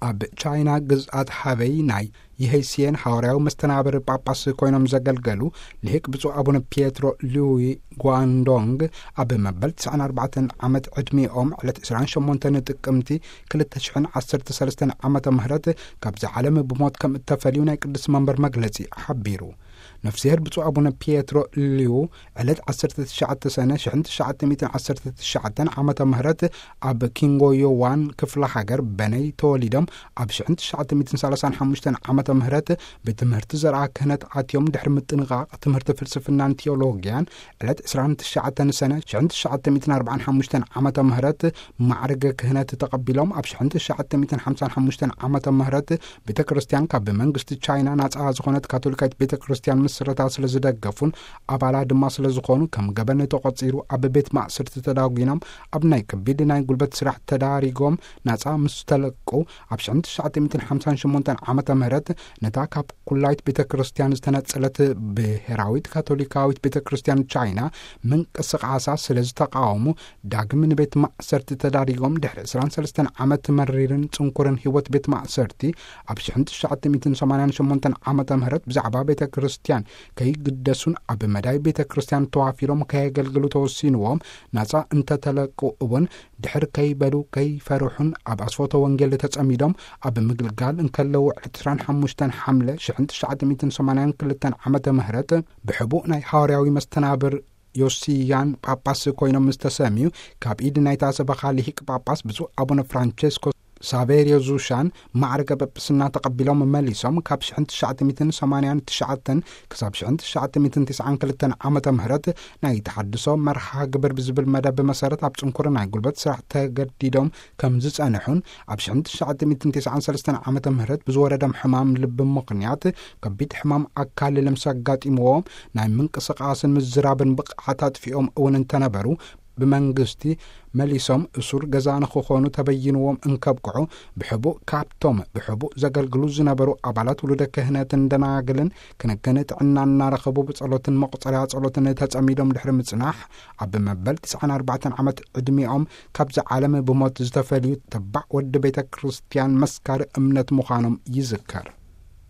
ኣብ ቻይና ግዝኣት ሃበይ ናይ የሄይሲየን ሃዋርያዊ መስተናብር ጳጳስ ኮይኖም ዘገልገሉ ልሂቅ ብፁዕ ኣቡነ ፒየትሮ ሉዊ ጓንዶንግ፣ ኣብ መበል ትስዓን ኣርባዕተን ዓመት ዕድሚኦም ዕለት ዕስራን ሸሞንተን ጥቅምቲ ክልተ ሽሕን ዓሰርተ ሰለስተን ዓመተ ምህረት ካብዚ ዓለም ብሞት ከም እተፈልዩ ናይ ቅዱስ መንበር መግለጺ ሓቢሩ። ነፍስሄር ብፁዕ ኣቡነ ፒየትሮ ሊዩ ዕለት ዓሰርተ ትሽዓተ ሰነ ሽሕን ትሽዓተ ሚእትን ዓሰርተ ትሽዓተን ዓመተ ምህረት ኣብ ኪንጎዮዋን ክፍለ ሃገር በነይ ተወሊዶም፣ ኣብ ሽሕን ትሽዓተ ሚእትን ሰላሳን ሓሙሽተን ዓመተ ምህረት ብትምህርቲ ዘርኣ ክህነት ኣትዮም፣ ድሕሪ ምጥንቓቕ ትምህርቲ ፍልስፍናን ቴዎሎጊያን ዕለት ዕስራን ትሽዓተን ሰነ ሽሕን ትሽዓተ ሚእትን ኣርባዓን ሓሙሽተን ዓመተ ምህረት ማዕርገ ክህነት ተቐቢሎም፣ ኣብ ሽሕን ትሽዓተ ሚእትን ሓምሳን ሓሙሽተን ዓመተ ምህረት ቤተ ክርስቲያን ካብ መንግስቲ ቻይና ናጻ ዝኾነት ካቶሊካዊት ቤተ ክርስቲያን ምስረታ ስለ ዝደገፉን ኣባላ ድማ ስለ ዝኾኑ፣ ከም ገበን ተቖጺሩ ኣብ ቤት ማእሰርቲ ተዳጒኖም፣ ኣብ ናይ ከቢድ ናይ ጉልበት ስራሕ ተዳሪጎም ናጻ ምስ ተለቁ፣ ኣብ ሽሕን ትሽዓተ ሚእትን ሓምሳን ሸሞንተን ዓመተ ምህረት ነታ ካብ ኩላይት ቤተ ክርስቲያን ዝተነጸለት ብሄራዊት ካቶሊካዊት ቤተ ክርስቲያን ቻይና ምንቅስቃሳ ስለ ዝተቃወሙ፣ ዳግም ንቤት ማእሰርቲ ተዳሪጎም፣ ድሕሪ ዕስራን ሰለስተን ዓመት መሪርን ጽንኩርን ህይወት ቤት ማእሰርቲ፣ ኣብ ሽሕን ትሽዓተ ሚእትን ሰማንያን ሸሞንተን ዓመተ ምህረት ብዛዕባ ቤተ ክርስቲያን ከይግደሱን ኣብ መዳይ ቤተ ክርስቲያን ተዋፊሮም ከየገልግሉ ተወሲንዎም ናጻ እንተተለቁ እውን፣ ድሕር ከይበሉ ከይፈርሑን ኣብ ኣስፎተ ወንጌል ተጸሚዶም ኣብ ምግልጋል እንከለዉ፣ ዕለት ዕስራን ሓሙሽተን ሓምለ ሽሕን ትሽዓተ ሚእትን ሰማንያን ክልተን ዓመተ ምህረት ብሕቡእ ናይ ሃዋርያዊ መስተናብር ዮሲያን ጳጳስ ኮይኖም ምስ ተሰምዩ፣ ካብ ኢድ ናይታ ሰበኻ ልሂቅ ጳጳስ ብፁዕ ኣቡነ ፍራንቸስኮ ሳቬርዮ ዙሻን ማዕርገ ጳጳስና ተቐቢሎም መሊሶም፣ ካብ ሽሕን ትሽዓተ ሚእትን ሰማንያን ትሽዓተን ክሳብ ሽሕን ትሽዓተ ሚእትን ትስዓን ክልተን ዓመተ ምህረት ናይ ተሓድሶ መርሃ ግብር ብዝብል መደብ መሰረት ኣብ ጽንኩር ናይ ጉልበት ስራሕ ተገዲዶም ከም ዝጸንሑን፣ ኣብ ሽሕን ትሽዓተ ሚእትን ትስዓን ሰለስተን ዓመተ ምህረት ብዝወረዶም ሕማም ልቢ ምኽንያት ከቢድ ሕማም ኣካል ልምስ ኣጋጢምዎም፣ ናይ ምንቅስቃስን ምዝራብን ብቕዓት ኣጥፊኦም እውን እንተነበሩ፣ ብመንግስቲ መሊሶም እሱር ገዛ ንክኾኑ ተበይንዎም እንከብቅዑ፣ ብሕቡእ ካብቶም ብሕቡእ ዘገልግሉ ዝነበሩ ኣባላት ውሉደ ክህነትን ደናግልን ክንክን ጥዕና እናረኸቡ ብጸሎትን መቁጸርያ ጸሎትን ተጸሚዶም ድሕሪ ምጽናሕ፣ ኣብ መበል ትስዓን ኣርባዕተን ዓመት ዕድሚኦም ካብዚ ዓለም ብሞት ዝተፈልዩ ተባዕ ወዲ ቤተ ክርስቲያን መስካሪ እምነት ምዃኖም ይዝከር።